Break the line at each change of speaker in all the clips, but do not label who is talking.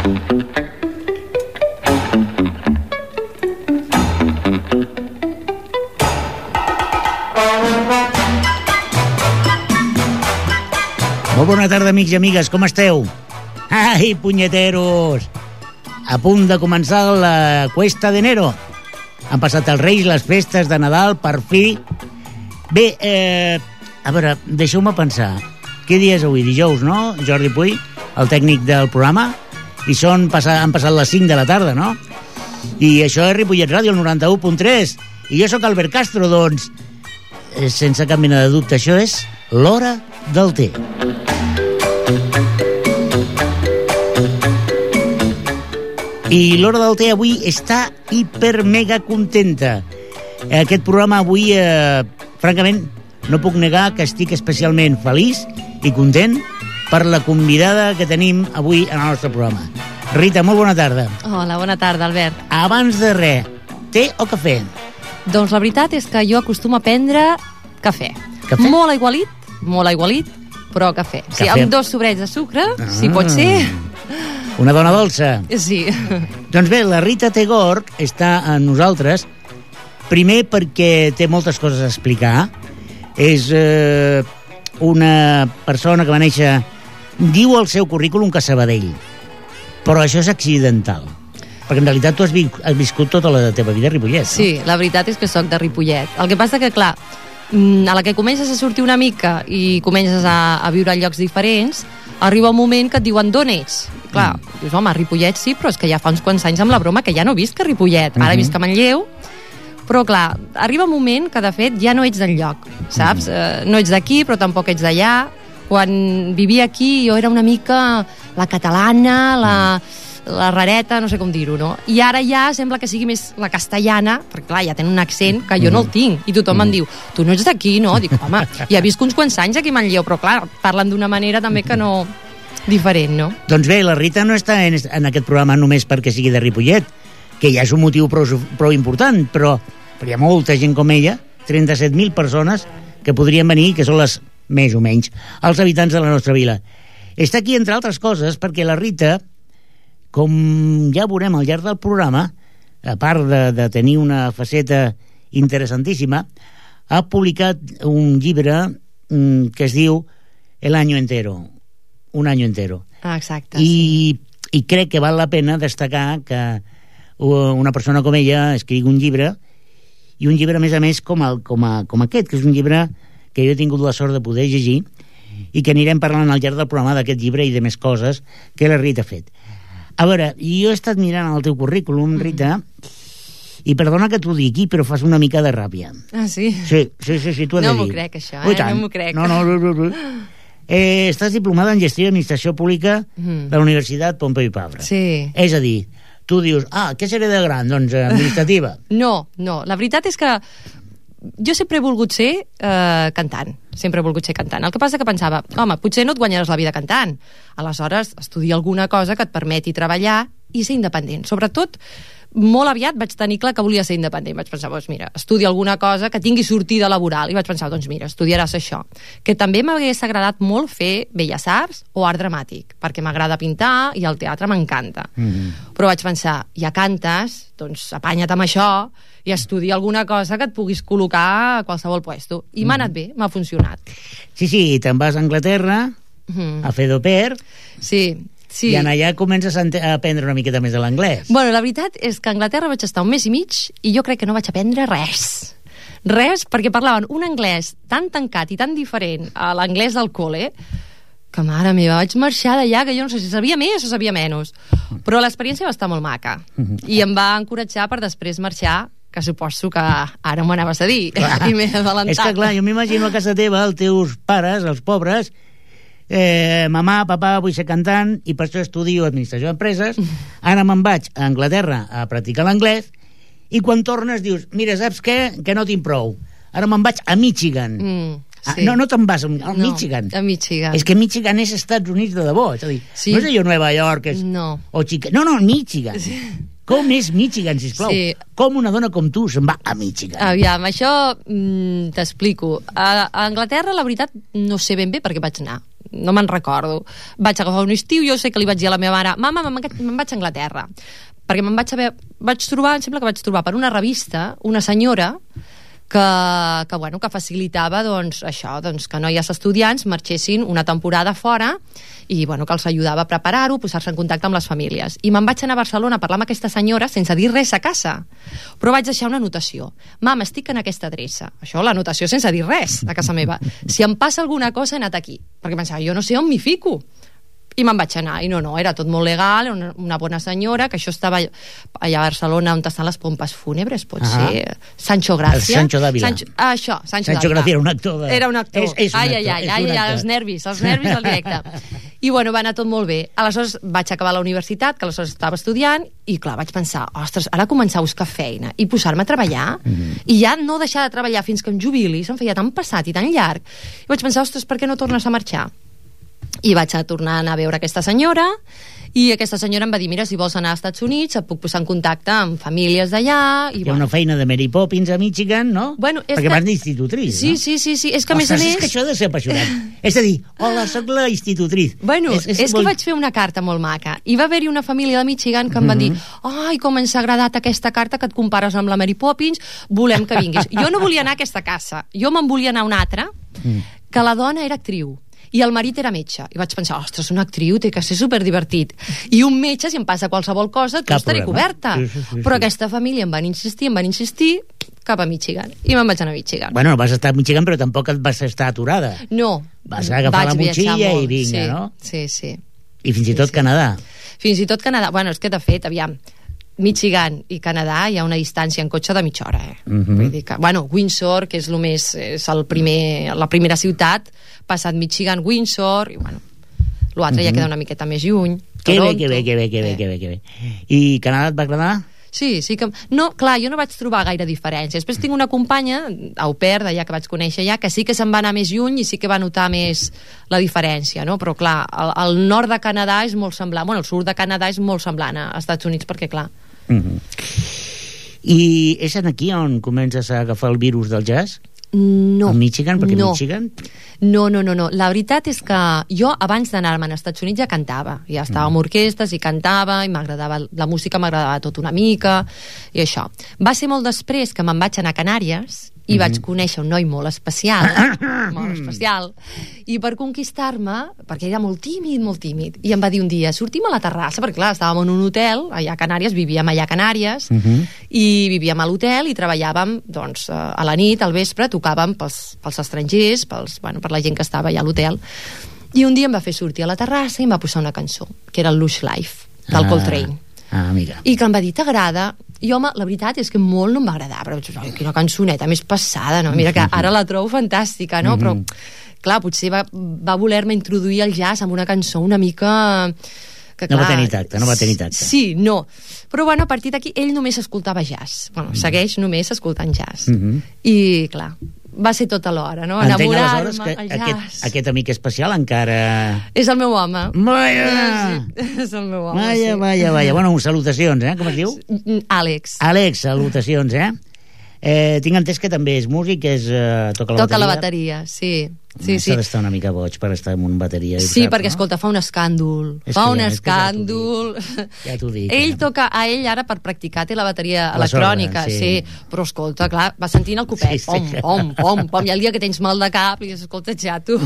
Molt bona tarda, amics i amigues, com esteu? Ai, punyeteros! A punt de començar la Cuesta de Enero. Han passat els Reis, les festes de Nadal, per fi. Bé, a veure, deixeu-me pensar. Què dia és avui? Dijous, no? Jordi Puy, el tècnic del programa. I han passat les 5 de la tarda, no? I això és Ripollet Ràdio, el 91.3. I jo sóc Albert Castro, doncs, sense cap mena de dubte, això és l'hora del té. I l'hora del té avui està hiper mega contenta. Aquest programa avui, francament, no puc negar que estic especialment feliç i content per la convidada que tenim avui en el nostre programa. Rita, molt bona tarda.
Hola, bona tarda, Albert.
Abans de res, té o cafè?
Doncs la veritat és que jo acostumo a prendre cafè.
Cafè?
Molt aigualit, però cafè. Sí, amb 2 sobrets de sucre, si pot ser.
Una dona dolça.
Sí.
Doncs bé, la Rita Tegorc està amb nosaltres, primer perquè té moltes coses a explicar. És una persona que va néixer, diu al seu currículum que a Sabadell, però això és accidental, perquè en realitat tu has viscut tota la teva vida a Ripollet, no?
Sí, la veritat és que soc de Ripollet. El que passa que, clar, a la que comences a sortir una mica i comences a viure a llocs diferents, arriba un moment que et diuen d'on ets. Clar, dius, home, a Ripollet sí, però és que ja fa uns quants anys amb la broma que ja no visc a Ripollet, ara visc a Manlleu, però clar, arriba un moment que de fet ja no ets del lloc, saps? No ets d'aquí, però tampoc ets d'allà. Quan vivia aquí jo era una mica la catalana, la rareta, no sé com dir-ho, no? I ara ja sembla que sigui més la castellana, perquè clar, ja tenen un accent que jo no el tinc, i tothom em diu, tu no ets d'aquí, no? Dic, home, ja visc uns quants anys aquí a Manlleu, però clar, parlen d'una manera també que no... diferent, no?
Doncs bé, la Rita no està en aquest programa només perquè sigui de Ripollet, que ja és un motiu prou important, però hi ha molta gent com ella, 37.000 persones que podrien venir, que són les, més o menys, els habitants de la nostra vila. Està aquí, entre altres coses, perquè la Rita, com ja veurem al llarg del programa, a part de tenir una faceta interessantíssima, ha publicat un llibre que es diu El año entero, un año entero.
Ah, exacte.
I crec que val la pena destacar que una persona com ella escrigui un llibre, i un llibre, a més, com aquest, que és un llibre que jo he tingut la sort de poder llegir i que anirem parlant al llarg del programa d'aquest llibre i de més coses que la Rita ha fet. A veure, jo he estat mirant el teu currículum, Rita, i perdona que t'ho digui, però fas una mica de ràbia.
Ah, sí?
Sí, t'ho he de dir.
No m'ho crec, això, no m'ho crec.
No. Estàs diplomada en Gestió i Administració Pública de la Universitat Pompeu Fabra.
Sí.
És a dir, tu dius, què seré de gran? Doncs administrativa.
No, la veritat és que jo sempre he volgut ser cantant. Sempre he volgut ser cantant. El que passa que pensava, home, potser no et guanyaràs la vida cantant. Aleshores, estudia alguna cosa que et permeti treballar i ser independent. Sobretot, molt aviat vaig tenir clar que volia ser independent. Vaig pensar, doncs mira, estudia alguna cosa que tingui sortida laboral. I vaig pensar, doncs mira, estudiaràs això. Que també m'hagués agradat molt fer Belles Arts o art dramàtic, perquè m'agrada pintar i el teatre m'encanta. Però vaig pensar, ja cantes, doncs apanya't amb això i estudia alguna cosa que et puguis col·locar a qualsevol puesto. I m'ha anat bé, m'ha funcionat.
Sí, te'n vas a Anglaterra a fer d'au pair.
Sí.
I en allà comences a aprendre una miqueta més de l'anglès.
Bueno, la veritat és que a Anglaterra vaig estar un mes i mig i jo crec que no vaig aprendre res. Res, perquè parlaven un anglès tan tancat i tan diferent a l'anglès del col·le que, mare meva, vaig marxar d'allà, que jo no sé si sabia més o sabia menys. Però l'experiència va estar molt maca i em va encoratjar per després marxar, que suposo que ara m'ho anaves a dir. I m'he adelantat.
És que, clar, jo m'imagino a casa teva, els teus pares, els pobres, mamà, papà, vull ser cantant i per això estudio administració d'empreses, ara me'n vaig a Anglaterra a practicar l'anglès i quan tornes dius, mira, saps què? Que no tinc prou, ara me'n vaig a Michigan.
Sí.
No te'n vas a Michigan.
A Michigan.
És que Michigan és Estats Units de debò, és a dir, no és allò Nova York o Chicago, no, Michigan. Sí. Com és Michigan, sisplau? Sí. Com una dona com tu se'n va a Michigan?
Aviam, això t'explico. A Anglaterra, la veritat, no sé ben bé per què vaig anar. no me'n recordo. Vaig agafar un estiu, jo sé que li vaig dir a la meva mare, mama, me'n vaig a Anglaterra, perquè vaig trobar, em sembla que vaig trobar per una revista una senyora que facilitava això, que noies estudiants marxessin una temporada fora i que els ajudava a preparar-ho, a posar-se en contacte amb les famílies. I me'n vaig anar a Barcelona a parlar amb aquesta senyora sense dir res a casa, però vaig deixar una anotació. Mama, estic en aquesta adreça. Això, l'anotació sense dir res a casa meva. Si em passa alguna cosa he anat aquí, perquè pensava, jo no sé on m'hi fico. I me'n vaig anar, i no, era tot molt legal, una bona senyora, que això estava allà a Barcelona on estan les pompes fúnebres, pot ser Sancho Gracia.
Sancho Dávila.
Sancho
Gracia era un actor.
Era un actor. Els nervis al directe. I va anar tot molt bé. Aleshores vaig acabar la universitat, que aleshores estava estudiant, i clar, vaig pensar, ostres, ara començar a buscar feina i posar-me a treballar, i ja no deixar de treballar fins que em jubili, se'm feia tan passat i tan llarg. I vaig pensar, ostres, per què no tornes a marxar? I vaig tornar a anar a veure aquesta senyora, i aquesta senyora em va dir, mira, si vols anar als Estats Units et puc posar en contacte amb famílies d'allà.
Hi ha una feina de Mary Poppins a Michigan, no? Perquè vas d'institutriz,
no?
Sí,
és que a més a més...
És que això ha de ser apassionant. És a dir, hola, soc la institutriz.
És que vaig fer una carta molt maca, i va haver-hi una família de Michigan que em van dir, ai, com ens ha agradat aquesta carta que et compares amb la Mary Poppins, volem que vinguis. Jo no volia anar a aquesta casa, jo me'n volia anar a una altra, que la dona era actriu i el marit era metge, i vaig pensar, ostres, una actriu té que ser superdivertit, i un metge, si em passa qualsevol cosa, tu estaré coberta. Però aquesta família em van insistir cap a Michigan, i me'n vaig anar a Michigan.
Bueno, vas estar a Michigan, però tampoc et vas estar aturada.
No.
Vas agafar la motxilla i vinga, no?
Sí.
I fins i tot Canadà.
Fins i tot Canadà. Bueno, és que de fet, aviam, Michigan i Canadà hi ha una distància en cotxe de mitja hora, Vull dir que, Windsor, que és la primera ciutat, passat Michigan, Windsor, i l'altre ja queda una miqueta més lluny.
Que bé. I Canadà et va agradar?
Sí que... No, clar, jo no vaig trobar gaire diferència. Després tinc una companya, au pair, d'allà que vaig conèixer ja, que sí que se'n va anar més lluny i sí que va notar més la diferència, no? Però, clar, el nord de Canadà és molt semblant, el sud de Canadà és molt semblant als Estats Units, perquè, clar...
I és aquí on comences a agafar el virus del jazz?
No.
A Michigan? Perquè Michigan...
No. La veritat és que jo, abans d'anar-me'n als Estats Units, ja cantava. Ja estava amb orquestres i cantava, i m'agradava la música, m'agradava tot una mica, i això. Va ser molt després que me'n vaig anar a Canàries, i vaig conèixer un noi molt especial, i per conquistar-me, perquè era molt tímid, i em va dir un dia, sortim a la terrassa, perquè clar, estàvem en un hotel allà a Canàries, vivíem allà a Canàries, i vivíem a l'hotel i treballàvem, doncs, a la nit, al vespre, tocàvem pels estrangers, per la gent que estava allà a l'hotel, i un dia em va fer sortir a la terrassa i em va posar una cançó, que era el Lush Life, del Coltrane.
Amiga.
I que em va dir, t'agrada? I home, la veritat és que molt no em va agradar, però quina cançoneta més passada, no? Mira que ara la trobo fantàstica, no? Però, clar, potser va voler-me introduir el jazz amb una cançó una mica... Que, clar,
no va tenir tacte.
Sí, no. Però, a partir d'aquí, ell només escoltava jazz. Segueix només escoltant jazz. I, clar, va ser tot alhora, no? Enamorar-me, el jazz.
Aquest amic especial encara...
És el meu home.
És
el meu home,
Vaja. Bueno, salutacions, com es diu?
Àlex,
salutacions, tinc entès que també és músic, toca la bateria,
sí.
S'ha d'estar una mica boig per estar en una bateria.
Sí, perquè, escolta, fa un escàndol.
Ja t'ho dic.
A ell ara per practicar té la bateria electrònica, sí. Però escolta, clar, va sentint el copet, pom, i el dia que tens mal de cap i dius, escolta, xato,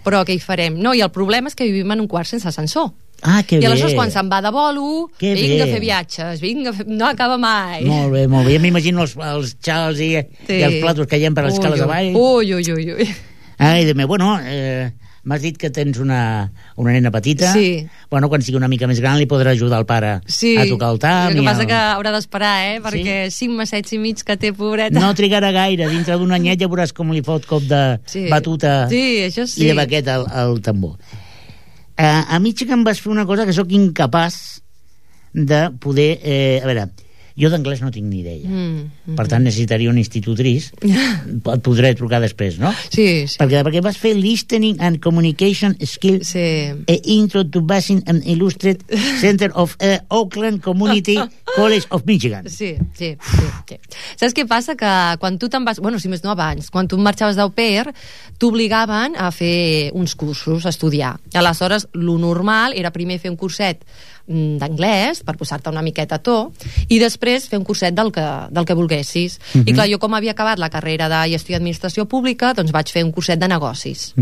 però què hi farem? No, i el problema és que vivim en un quart sense ascensor.
Que
i aleshores quan se'n va de bolo, vinga a fer viatges, no acaba mai.
Molt bé. Ja m'imagino els xals i els platos que hi ha per les escales avall.
Ui.
Ai, de meu, m'has dit que tens una nena petita.
Sí.
Quan sigui una mica més gran li podrà ajudar el pare a tocar el tam.
El que passa que haurà d'esperar, perquè 5 mesetets i mig que té, pobreta.
No trigarà gaire, dintre d'un anyet ja veuràs com li fot cop de batuta i de baquet al tambor. A Michigan vas fer una cosa que sóc incapaç de poder... Jo d'anglès no tinc ni idea. Per tant, necessitaria una institutriz. Et podré trucar després, no?
Sí.
Perquè vas fer Listening and Communication Skills Intro to Basin and Illustrated Center of Oakland Community College of Michigan.
Sí. Saps què passa? Que quan tu te'n vas... Bueno, si més no abans, quan tu marxaves d'au pair, t'obligaven a fer uns cursos, a estudiar. Aleshores, lo normal era primer fer un curset d'anglès, per posar-te una miqueta a to, i després fer un curset del que volguessis. I clar, jo com havia acabat la carrera de gestió i administració pública, doncs vaig fer un curset de negocis.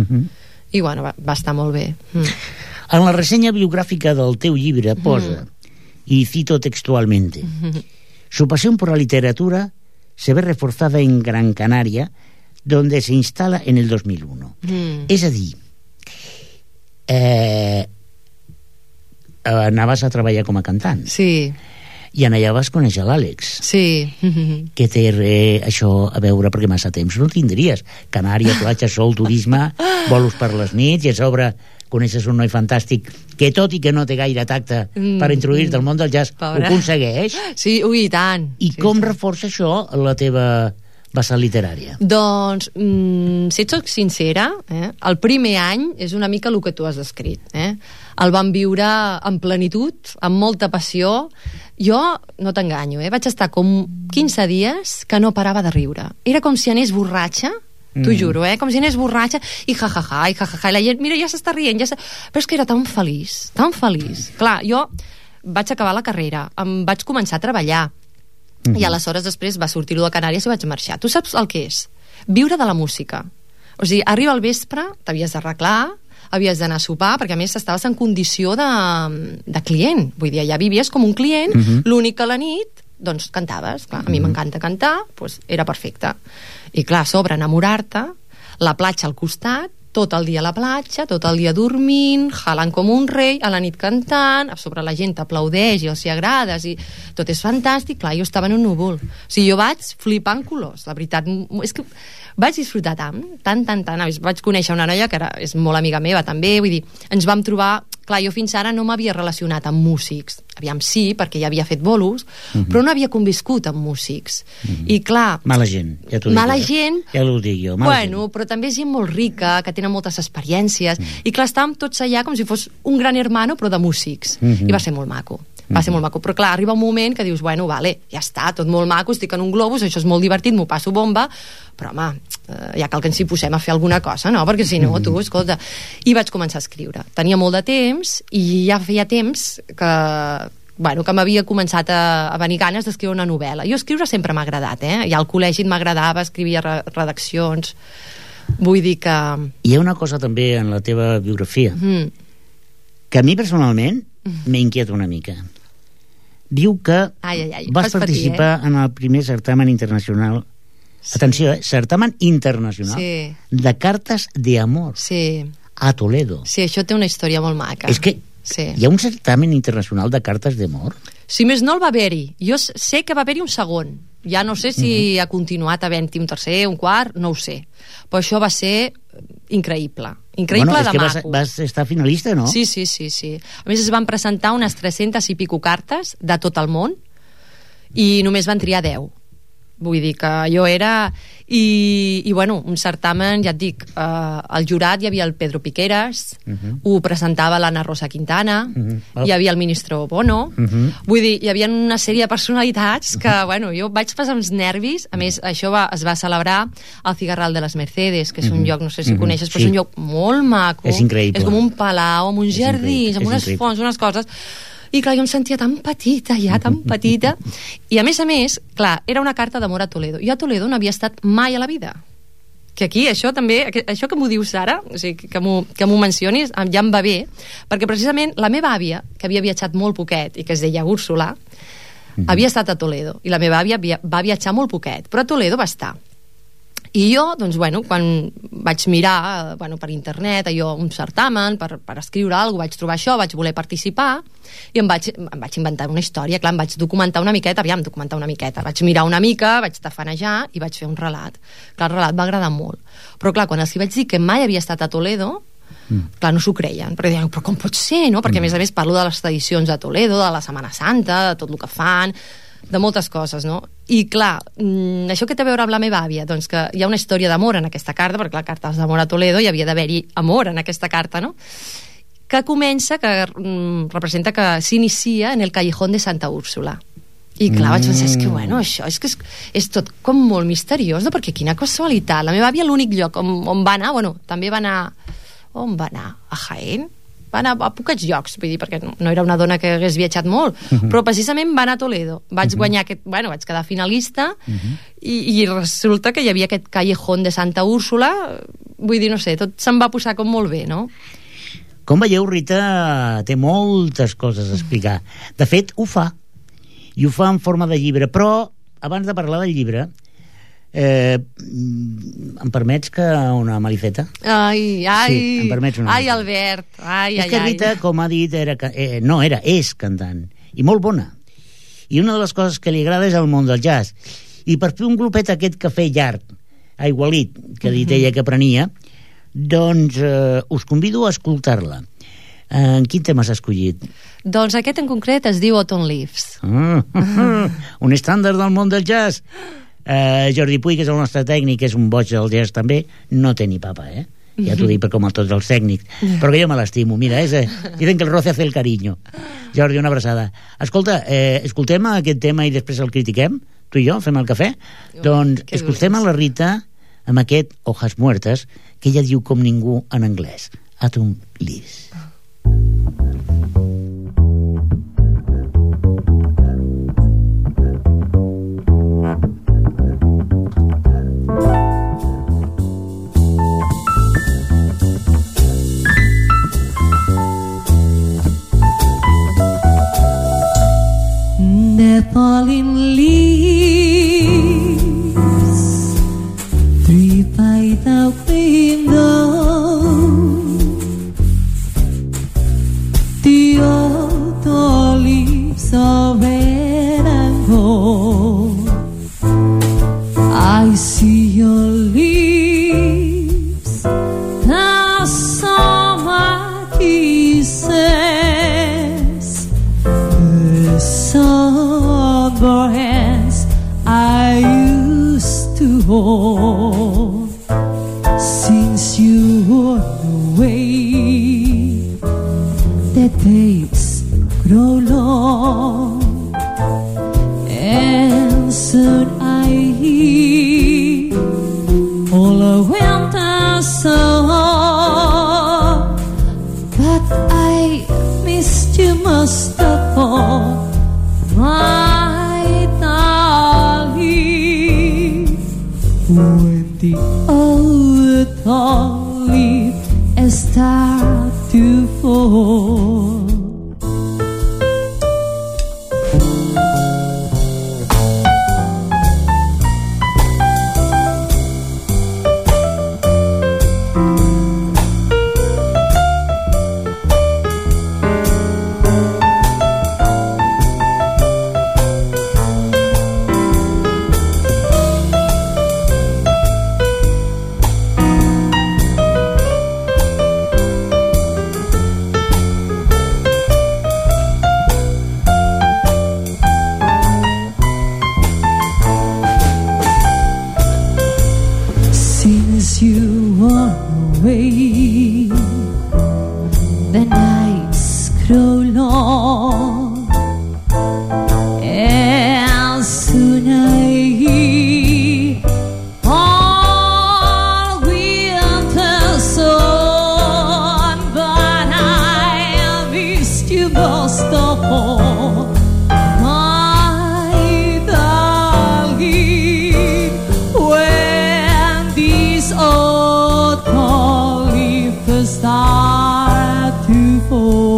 I bueno, va estar molt bé.
En la ressenya biogràfica del teu llibre posa, y cito textualmente, su pasión por la literatura se ve reforzada en Gran Canaria, donde se instala en el 2001. És a dir, anaves a treballar com a cantant.
Sí.
I allà vas conèixer l'Àlex.
Sí.
Què té això a veure? Perquè massa temps no tindries. Canària, platja, sol, turisme, bolos per les nits, i a sobre coneixes un noi fantàstic que, tot i que no té gaire tacte per introduir-te al món del jazz, ho aconsegueix.
Sí, ui, i tant.
I com reforça això la teva vessant literària?
Doncs, si et soc sincera, el primer any és una mica el que tu has descrit. El vam viure en plenitud, amb molta passió. Jo, no t'enganyo, vaig estar com 15 dies que no parava de riure. Era com si anés borratxa, t'ho juro, com si anés borratxa, i jajaja, i la gent, mira, ja s'està rient, però és que era tan feliç, tan feliç. Clar, jo vaig acabar la carrera, em vaig començar a treballar, i aleshores després va sortir lo de Canàries i vaig marxar. Tu saps el que és? Viure de la música. O sigui, arriba al vespre, t'havies d'arreglar, havies d'anar a sopar, perquè a més estaves en condició de client. Vull dir, ja vivies com un client, l'únic que a la nit, doncs cantaves. Clar, a mi m'encanta cantar, doncs era perfecte. I clar, a sobre enamorar-te, la platja al costat, tot el dia a la platja, tot el dia dormint, jalant com un rei, a la nit cantant, a sobre la gent t'aplaudeix i els hi agrades, i tot és fantàstic. Clar, jo estava en un núvol. O sigui, jo vaig flipar en colors, la veritat. És que vaig disfrutar tant. Vaig conèixer una noia que és molt amiga meva també, vull dir, ens vam trobar... Clar, jo fins ara no m'havia relacionat amb músics. Aviam, sí, perquè ja havia fet bolos, però no havia conviscut amb músics. I clar...
Mala gent, ja t'ho dic.
Mala gent...
Ja ho dic jo,
bueno, gent. Però també gent molt rica, que tenen moltes experiències. I clar, estàvem tots allà com si fos un gran hermano, però de músics. I va ser molt maco. Va ser molt maco, però clar, arriba un moment que dius, bueno, vale, ja està, tot molt maco, estic en un globus, això és molt divertit, m'ho passo bomba, però home, ja cal que ens hi posem a fer alguna cosa, no? Perquè si no, tu, escolta... I vaig començar a escriure. Tenia molt de temps, i ja feia temps que m'havia començat a venir ganes d'escriure una novel·la. Jo escriure sempre m'ha agradat, ja al col·legi m'agradava, escrivia redaccions, vull dir que...
Hi ha una cosa també en la teva biografia que a mi personalment m'inquieta una mica. Diu que vas participar en el primer certamen internacional, atenció, certamen internacional de cartes d'amor a Toledo.
Sí, això té una història molt maca.
És que hi ha un certamen internacional de cartes d'amor?
Si més no el va haver-hi. Jo sé que va haver-hi un segon. Ja no sé si ha continuat havent-hi un tercer, un quart, no ho sé. Però això va ser increïble. Increïble de maco. És que
vas estar finalista, no?
Sí. A més, es van presentar unes 300 i pico cartes de tot el món i només van triar 10. Vull dir que jo era... I bueno, un certamen, ja et dic, al jurat hi havia el Pedro Piqueras, ho presentava l'Anna Rosa Quintana, hi havia el ministre Bono, vull dir, hi havia una sèrie de personalitats que, bueno, jo vaig passar uns nervis. A més, això es va celebrar al Cigarral de les Mercedes, que és un lloc, no sé si coneixes, però és un lloc molt maco.
És increïble.
És com un palau, amb uns jardins, amb unes fonts, unes coses... I clar, jo em sentia tan petita ja, tan petita. I a més, clar, era una carta d'amor a Toledo. Jo a Toledo no havia estat mai a la vida. Que aquí, això també, això que m'ho dius ara, o sigui, que m'ho mencionis, ja em va bé, perquè precisament la meva àvia, que havia viatjat molt poquet i que es deia Úrsula, havia estat a Toledo, i la meva àvia va viatjar molt poquet, però a Toledo va estar. I jo, doncs, bueno, quan vaig mirar per internet un certamen per escriure alguna cosa, vaig trobar això, vaig voler participar i em vaig inventar una història. Clar, em vaig documentar una miqueta, vaig mirar una mica, vaig tafanejar i vaig fer un relat. Clar, el relat va agradar molt, però clar, quan els vaig dir que mai havia estat a Toledo, clar, no s'ho creien, perquè deien, però com pot ser, no? Perquè a més parlo de les tradicions de Toledo, de la Setmana Santa, de tot el que fan. de moltes coses, no? I clar, això que té a veure amb la meva àvia, doncs que hi ha una història d'amor en aquesta carta, perquè clar, cartes d'amor a Toledo, hi havia d'haver-hi amor en aquesta carta, no? Que comença, que representa que s'inicia en el Callejón de Santa Úrsula. I clar, vaig pensar, és que bueno, això és tot com molt misteriós, no? Perquè quina casualitat. La meva àvia, l'únic lloc on va anar, bueno, també va anar... On va anar? A Jaén? Va anar a pocs llocs, vull dir, perquè no era una dona que hagués viatjat molt, però precisament va anar a Toledo. Vaig guanyar vaig quedar finalista i resulta que hi havia aquest Callejón de Santa Úrsula, vull dir, no sé, tot se'm va posar com molt bé, no?
Com veieu, Rita té moltes coses a explicar. De fet, ho fa. I ho fa en forma de llibre, però abans de parlar del llibre em permets que una malifeta?
Ai,
sí, em permets una
ai, Albert, ai,
és que Rita, com ha dit, és cantant, i molt bona, i una de les coses que li agrada és el món del jazz, i per fer un glopet aquest cafè llarg, aigualit, que ha dit ella que prenia, doncs us convido a escoltar-la. En quin tema s'ha escollit?
Doncs aquest en concret es diu Autumn Leaves.
Un estàndard del món del jazz. Jordi Puy, que és el nostre tècnic, és un boig del jazz també, no té ni papa, ja t'ho dic per com a tots els tècnics, però que jo me l'estimo, mira, dicen que el roce hace el cariño. Jordi, una abraçada. Escolta, escoltem aquest tema i després el critiquem, tu i jo, fem el cafè. Doncs escoltem a la Rita amb aquest Hojas Muertas, que ella diu com ningú en anglès, Autumn Leaves.
The falling leaves three by the window, the autumn leaves are red and gold. I see your lips, the summer kisses, the summer hands I used to hold. Since you went away, the days grow long, and soon I hear all a winter song. But I missed you most of all, my darling. When the autumn leaves start to fall, since you were away, the nights grow long, and soon I hear all winter song. But I missed you most of all, my darling. When these autumn leaves start to fall,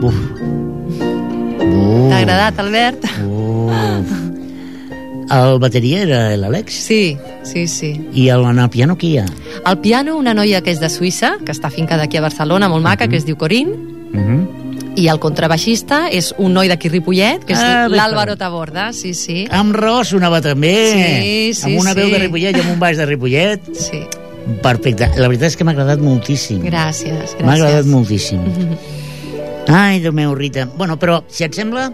Uf.
T'ha agradat, Albert?
El bateria era l'Àlex?
Sí.
I en el piano qui hi ha?
Al piano, una noia que és de Suïssa, que està afincada aquí a Barcelona, molt maca, que es diu Corinne. I el contrabaixista és un noi d'aquí Ripollet, que és
bé,
l'Álvaro Taborda, sí, sí.
Amb raó sonava també.
Sí,
amb una veu
sí.
de Ripollet i amb un baix de Ripollet.
Sí.
Perfecte. La veritat és que m'ha agradat moltíssim.
Gràcies.
M'ha agradat moltíssim. Ai, Déu meu, Rita. Bueno, però, si et sembla,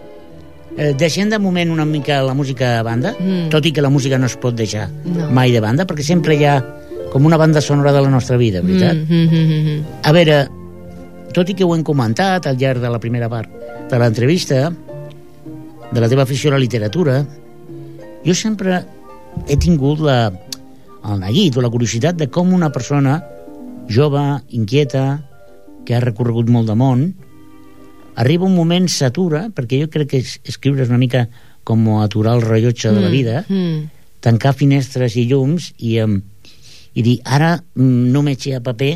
deixem de moment una mica la música a banda, tot i que la música no es pot deixar mai de banda, perquè sempre hi ha com una banda sonora de la nostra vida, veritat? A veure, tot i que ho hem comentat al llarg de la primera part de l'entrevista, de la teva afició a la literatura, jo sempre he tingut el neguit o la curiositat de com una persona jove, inquieta, que ha recorregut molt de món, arriba un moment, s'atura, perquè jo crec que escriure és una mica com aturar el rellotge de la vida, tancar finestres i llums i dir, ara només hi ha paper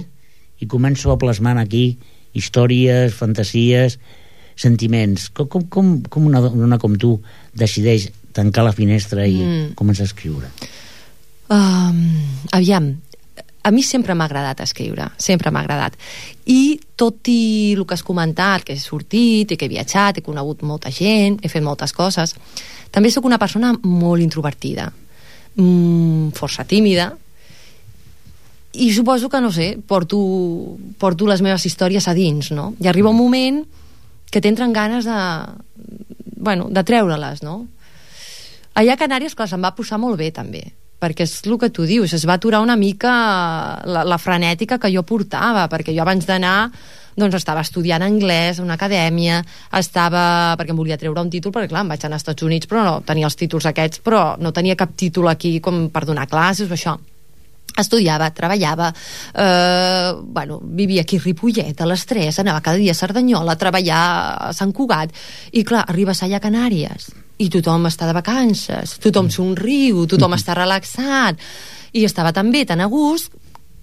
i començo a plasmar aquí històries, fantasies, sentiments. Com una dona com tu decideix tancar la finestra i començar a escriure?
Aviam, a mi sempre m'ha agradat escriure, sempre m'ha agradat. I tot i el que has comentat, que he sortit i que he viatjat, he conegut molta gent, he fet moltes coses, també sóc una persona molt introvertida, força tímida, i suposo que, no sé, porto les meves històries a dins, no? I arriba un moment que t'entren ganes de treure-les, no? Allà a Canàries, clar, se'm va posar molt bé, també, perquè és el que tu dius, es va aturar una mica la frenètica que jo portava, perquè jo abans d'anar doncs estava estudiant anglès a una acadèmia, perquè em volia treure un títol, perquè clar, em vaig anar als Estats Units, però no tenia els títols aquests, però no tenia cap títol aquí com per donar classes o això. Estudiava, treballava, vivia aquí a Ripollet, a les 3, anava cada dia a Cerdanyola a treballar a Sant Cugat, i clar, arribes allà a Canàries i tothom està de vacances, tothom somriu, tothom està relaxat, i estava tan bé, tan a gust,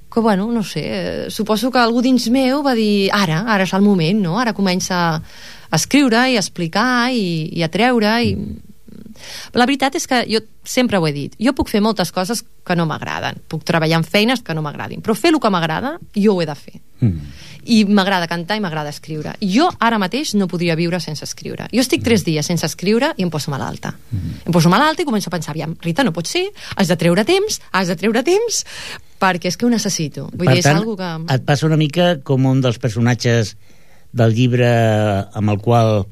que no sé, suposo que algú dins meu va dir, ara és el moment, no? Ara comença a escriure i a explicar i a treure i... La veritat és que jo sempre ho he dit, jo puc fer moltes coses que no m'agraden, puc treballar en feines que no m'agradin, però fer el que m'agrada jo ho he de fer, i m'agrada cantar i m'agrada escriure. Jo ara mateix no podria viure sense escriure. Jo estic 3 dies sense escriure i em poso malalta. Em poso malalta i començo a pensar, aviam, Rita, no pot ser, has de treure temps, perquè és que ho necessito. Vull dir, és algo que...
Et passa una mica com un dels personatges del llibre amb el qual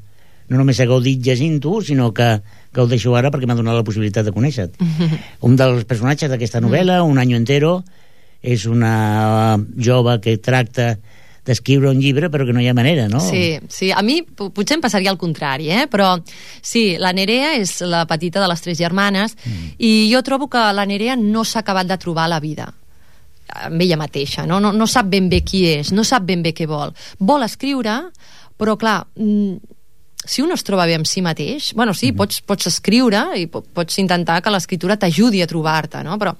no només he gaudit llegint-ho, sinó que ho deixo ara perquè m'ha donat la possibilitat de conèixer-te. Un dels personatges d'aquesta novel·la, Un año entero, és una jove que tracta d'escriure un llibre però que no hi ha manera, no?
Sí, a mi potser em passaria al contrari, però sí, la Nerea és la petita de les 3 germanes i jo trobo que la Nerea no s'ha acabat de trobar la vida amb ella mateixa, no sap ben bé qui és, no sap ben bé què vol. Vol escriure, però clar, si un es troba bé amb si mateix, sí, pots escriure i pots intentar que l'escriptura t'ajudi a trobar-te, no? Però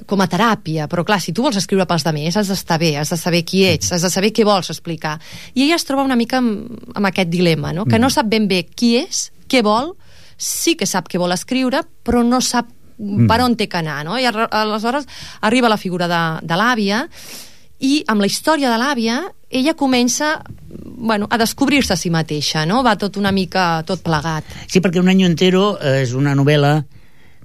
com a teràpia, però clar, si tu vols escriure pels demés has d'estar bé, has de saber qui ets, has de saber què vols explicar, i ella es troba una mica amb aquest dilema, no? Que no sap ben bé qui és, què vol, sí que sap què vol escriure, però no sap per on té que anar, no? I aleshores arriba la figura de l'àvia, i amb la història de l'àvia ella comença a descobrir-se a si mateixa, no? Va tot una mica tot plegat.
Sí, perquè Un año entero és una novel·la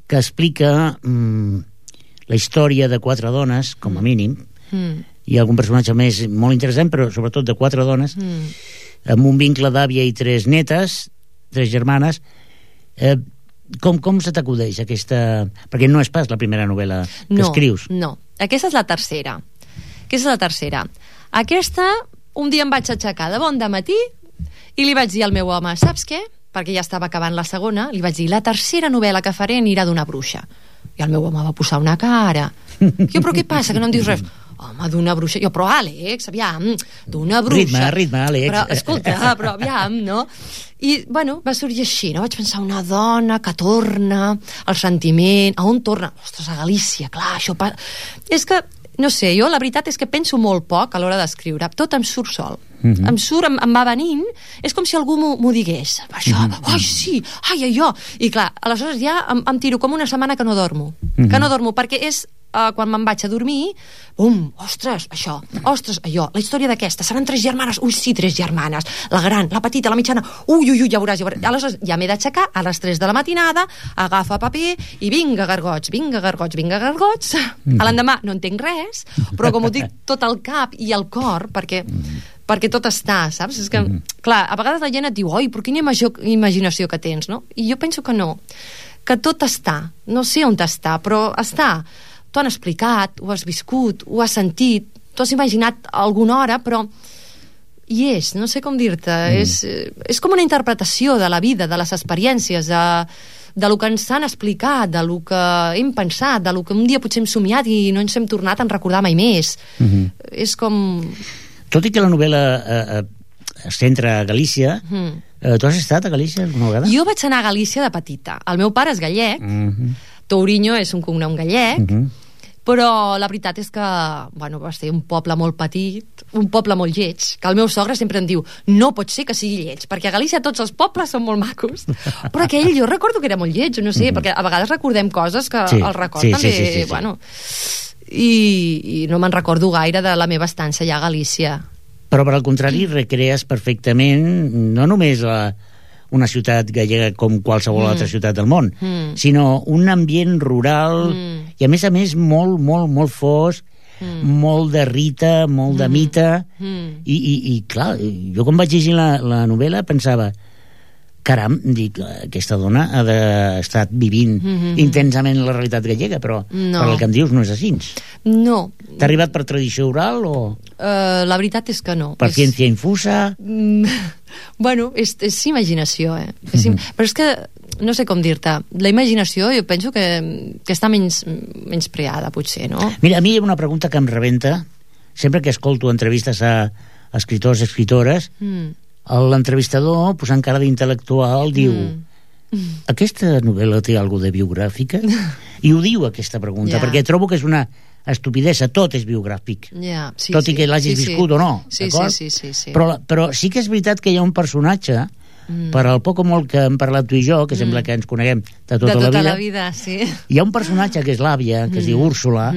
que explica la història de 4 dones, com a mínim. Hi ha algun personatge més molt interessant, però sobretot de 4 dones, amb un vincle d'àvia i 3 netes, 3 germanes. Com se t'acudeix aquesta... Perquè no és pas la primera novel·la que escrius.
No, aquesta és la tercera. Aquesta, un dia em vaig aixecar de bon dematí i li vaig dir al meu home, saps què? Perquè ja estava acabant la segona, li vaig dir, la tercera novel·la que faré anirà d'una bruixa. I el meu home va posar una cara. Jo, però què passa, que no em dius res? Home, d'una bruixa. Jo, però Àlex, aviam, d'una bruixa.
Ritme, Àlex.
Però, escolta, però aviam, no? I, va sorgir així, no? Vaig pensar, una dona que torna, el sentiment, a on torna? Ostres, a Galícia, clar, això... És que, no sé, jo la veritat és que penso molt poc a l'hora d'escriure. Tot em surt sol. Em surt, em va venint, és com si algú m'ho digués. Això, ai, sí, ai, allò. I clar, aleshores ja em tiro com una setmana que no dormo. Que no dormo, perquè és quan me'n vaig a dormir, ostres, això, ostres, allò, la història d'aquesta, seran 3 germanes, ui, sí, 3 germanes, la gran, la petita, la mitjana, ui, ja veuràs. Aleshores, ja m'he d'aixecar a les 3 de la matinada, agafa paper i vinga, gargots. A l'endemà no entenc res, però com ho dic tot al cap i al cor, perquè tot està, saps? És que, clar, a vegades la gent et diu, oi, però quina imaginació que tens, no? I jo penso que no, que tot està, no sé on està, però està. T'ho han explicat, ho has viscut, ho has sentit, t'ho has imaginat alguna hora, però hi és, no sé com dir-te, és com una interpretació de la vida, de les experiències, de lo que ens han explicat, de lo que hem pensat, de lo que un dia potser hem somiat i no ens hem tornat a recordar mai més. És com...
Tot i que la novel·la es centra a Galícia, tu has estat a Galícia alguna vegada?
Jo vaig anar a Galícia de petita. El meu pare és gallec, Tourinho és un cognom gallec, però la veritat és que va ser un poble molt petit, un poble molt lleig, que el meu sogre sempre em diu no pot ser que sigui lleig, perquè a Galícia tots els pobles són molt macos, però aquell jo recordo que era molt lleig, no sé, perquè a vegades recordem coses que el record també, bueno, i no me'n recordo gaire de la meva estança allà a Galícia.
Però per al contrari recrees perfectament no només una ciutat gallega com qualsevol altra ciutat del món, sinó un ambient rural i a més molt fosc, molt de rita, molt de mita, i clar, jo quan vaig llegir la novel·la pensava, caram, dic, aquesta dona ha d'estar vivint intensament la realitat gallega, però per el que em dius no és així.
No.
T'ha arribat per tradició oral o...?
La veritat és que no.
Per ciència infusa?
Bueno, és imaginació, però és que no sé com dir-te, la imaginació jo penso que està menys preada, potser, no?
Mira, a mi hi ha una pregunta que em rebenta sempre que escolto entrevistes a escriptors i escriptores. L'entrevistador, posant cara d'intel·lectual, diu aquesta novel·la té alguna de biogràfica? I ho diu aquesta pregunta, perquè trobo que és una estupidesa, tot és biogràfic, tot i que l'hagis viscut o no, d'acord?
Sí.
Però sí que és veritat que hi ha un personatge, per al poc o molt que hem parlat tu i jo, que sembla que ens coneguem de tota la vida, hi ha un personatge que és l'àvia, que es diu Úrsula,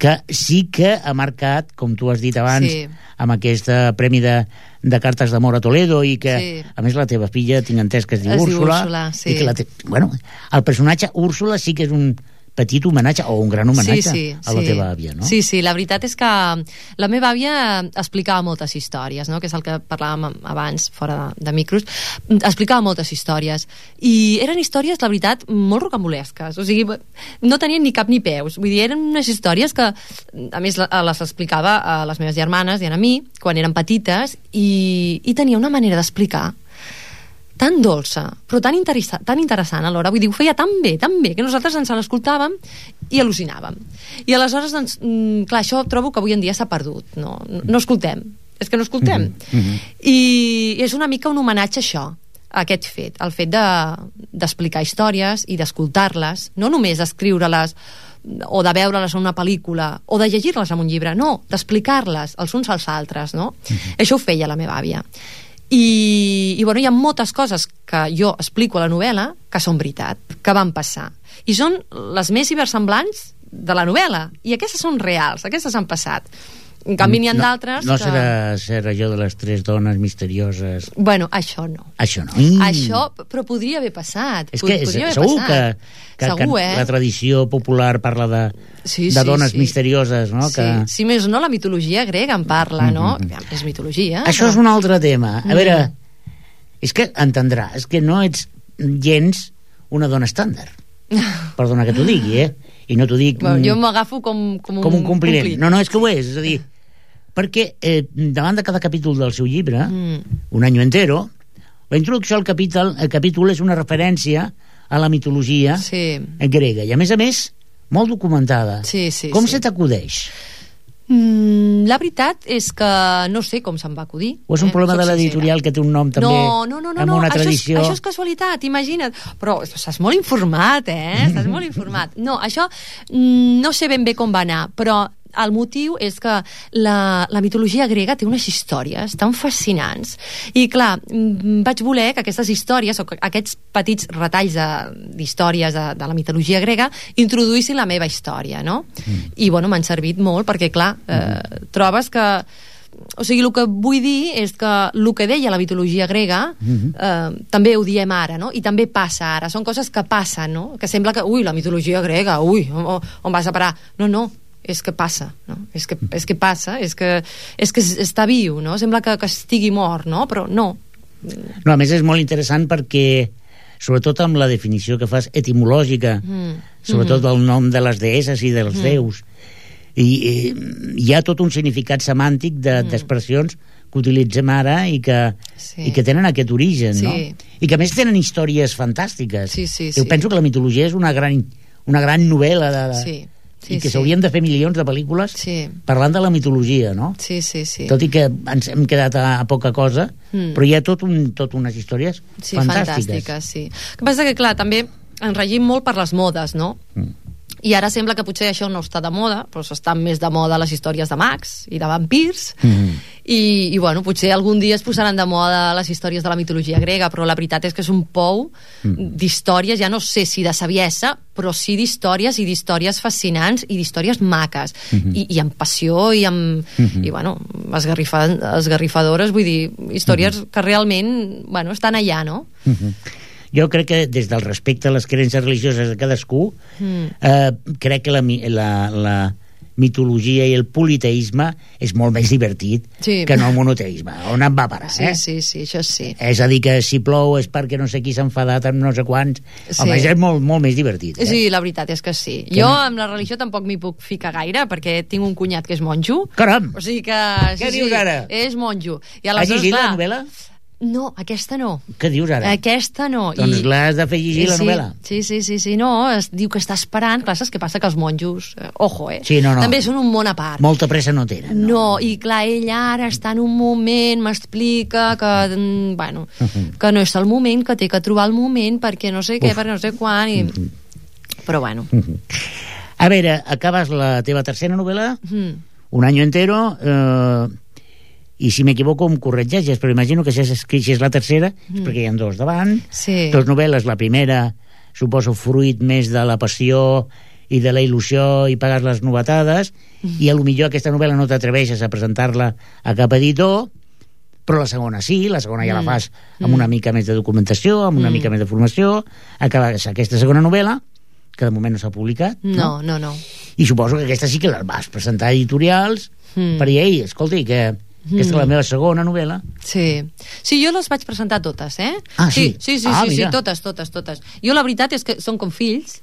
que sí que ha marcat, com tu has dit abans, amb aquest premi de cartes d'amor a Toledo, i que, a més, la teva filla, tinc entès que es diu Úrsula, i que el personatge Úrsula sí que és un petit homenatge, o un gran homenatge a la teva àvia, no?
Sí, la veritat és que la meva àvia explicava moltes històries, no? Que és el que parlàvem abans, fora de micros, explicava moltes històries, i eren històries, la veritat, molt rocambolesques, o sigui, no tenien ni cap ni peus, vull dir, eren unes històries que, a més, les explicava a les meves germanes i a mi, quan eren petites, i tenia una manera d'explicar tan dolça, però tan interessant alhora, vull dir, ho feia tan bé, que nosaltres ens l'escoltàvem i al·lucinàvem. I aleshores, doncs, clar, això trobo que avui en dia s'ha perdut, no escoltem, és que no escoltem. I és una mica un homenatge a això, a aquest fet, el fet d'explicar històries i d'escoltar-les, no només escriure-les o de veure-les en una pel·lícula o de llegir-les en un llibre, no, d'explicar-les els uns als altres, no? Això ho feia la meva àvia. I bueno, hi ha moltes coses que jo explico a la novel·la que són veritat, que van passar, i són les més cibersemblants de la novel·la, i aquestes són reals, aquestes han passat. En canvi n'hi ha d'altres
no serà allò de les 3 dones misterioses?
Bueno, això no.
Això no.
Això, però podria haver passat.
És que segur que la tradició popular parla de dones misterioses, no?
Si més no, la mitologia grega en parla, no? És mitologia.
Això és un altre tema. A veure, és que entendrà, és que no ets gens una dona estàndard. Perdona que t'ho digui, i no t'ho dic...
Jo m'agafo com un compliment.
No, és que ho és a dir, perquè davant de cada capítol del seu llibre, Un año entero, la introducció al capítol és una referència a la mitologia grega, i a més, molt documentada. Com se t'acudeix?
La veritat és que no sé com se'm va acudir.
O és un problema de l'editorial que té un nom també amb una tradició?
Això és casualitat, imagina't. Però estàs molt informat, estàs molt informat. No, això no sé ben bé com va anar, però el motiu és que la mitologia grega té unes històries tan fascinants i clar, vaig voler que aquestes històries o que aquests petits retalls d'històries de la mitologia grega introduïssin la meva història, no? I bueno, m'han servit molt perquè clar, trobes que o sigui, el que vull dir és que el que deia la mitologia grega també ho diem ara, no? I també passa ara, són coses que passen, no? Que sembla que, ui, la mitologia grega, ui, on vas a parar? No, és que passa, no? És que passa, és que està viu, no? Sembla que estigui mort, no? Però no.
No, a més és molt interessant perquè sobretot amb la definició que fas etimològica, sobretot del nom de les deesses i dels déus, i hi ha tot un significat semàntic d'expressions que utilitzem ara i que tenen aquest origen, no? I que a més tenen històries fantàstiques. Jo penso que la mitologia és una gran novel·la i que s'haurien de fer milions de pel·lícules parlant de la mitologia, no? Tot i que ens hem quedat a poca cosa, però hi ha tot unes històries fantàstiques.
El que passa que, clar, també ens regim molt per les modes, no? I ara sembla que potser això no està de moda, però estan més de moda les històries de mags i de vampirs, i bueno, potser algun dia es posaran de moda les històries de la mitologia grega, però la veritat és que és un pou d'històries, ja no sé si de saviesa, però sí d'històries i d'històries fascinants i d'històries maques, i amb passió i bueno, esgarrifadores, vull dir, històries que realment, bueno, estan allà, no?
Jo crec que des del respecte a les creences religioses de cadascú, crec que la mitologia i el politeisme és molt més divertit que no el monoteisme. On em va parar,
Sí, això sí.
És a dir, que si plou és perquè no sé qui s'ha enfadat amb no sé quants. Home, és molt més divertit.
Sí, la veritat és que sí. Jo amb la religió tampoc m'hi puc ficar gaire, perquè tinc un cunyat que és monjo.
Caram!
O sigui que...
Què dius ara?
És monjo.
Has llegit la novel·la?
No, aquesta no.
Què dius ara?
Aquesta no.
Doncs l'has de fer llegir, la novel·la.
Sí, no, es diu que està esperant. Clar, saps què passa? Que els monjos, ojo,
Sí, no.
També són un món a part.
Molta pressa no tenen.
No, i clar, ell ara està en un moment, m'explica que, bueno, que no és el moment, que té que trobar el moment, perquè no sé què, perquè no sé quan, però bueno.
A veure, acabes la teva tercera novel·la, Un año entero, i si m'equivoco em corregeixes, però imagino que si és la tercera és perquè hi ha dos davant, dos novel·les. La primera suposo fruit més de la passió i de la il·lusió i pagar les novetades, i a lo millor aquesta novel·la no t'atreveixes a presentar-la a cap editor, però la segona sí, la segona ja la fas amb una mica més de documentació, amb una mica més de formació. Acabes aquesta segona novel·la, que de moment no s'ha publicat.
No.
I suposo que aquesta sí que la vas presentar a editorials per dir, ei, escolti, que aquesta és la meva segona novel·la.
Sí, jo les vaig presentar totes,
Sí,
totes. Jo la veritat és que són com fills,